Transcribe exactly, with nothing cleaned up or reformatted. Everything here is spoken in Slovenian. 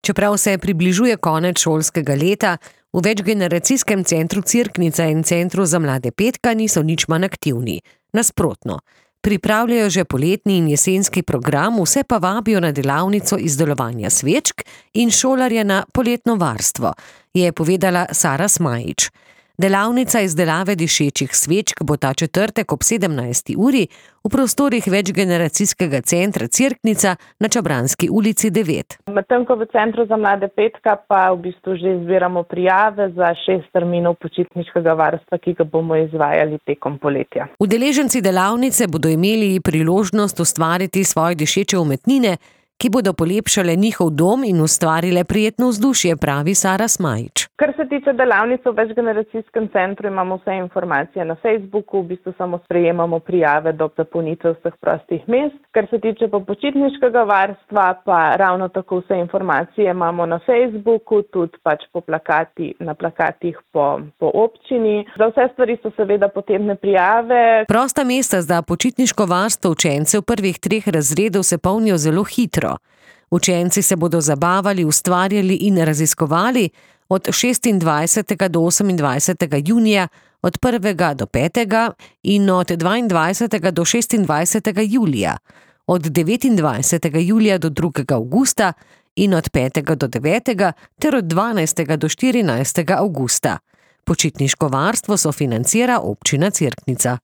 Čeprav se približuje konec šolskega leta, v večgeneracijskem centru Cerknica in centru za mlade Petka niso nič manj aktivni. Nasprotno, pripravljajo že poletni in jesenski program, vse pa vabijo na delavnico izdelovanja svečk in šolarje na poletno varstvo, je povedala Sara Smajić. Delavnica izdelave dišečih svečk bo ta četrtek ob sedemnajsti uri v prostorih večgeneracijskega centra Cerknica na Čabranski ulici devet. Medtem ko v centru za mlade Petka pa v bistvu že zbiramo prijave za šest terminov počitniškega varstva, ki ga bomo izvajali tekom poletja. Udeleženci delavnice bodo imeli priložnost ustvariti svoje dišeče umetnine, ki bodo polepšale njihov dom in ustvarile prijetno vzdušje, pravi Sara Smajić. Kar se tiče delavnice v večgeneracijskem centru, imamo vse informacije na Facebooku, v bistvu samo sprejemamo prijave do zapolnitve vseh prostih mest. Kar se tiče pa počitniškega varstva, pa ravno tako vse informacije imamo na Facebooku, tudi pač po plakati, na plakatih po, po občini. Za vse stvari so seveda potrebne prijave. Prosta mesta za počitniško varstvo učencev prvih treh razredov se polnijo zelo hitro. Učenci se bodo zabavali, ustvarjali in raziskovali od šestindvajsetega do osemindvajsetega junija, od prvega do petega in od dvaindvajsetega do šestindvajsetega julija, od devetindvajsetega julija do drugega avgusta in od petega do devetega ter od dvanajstega do štirinajstega avgusta. Počitniško varstvo sofinancira občina Cerknica.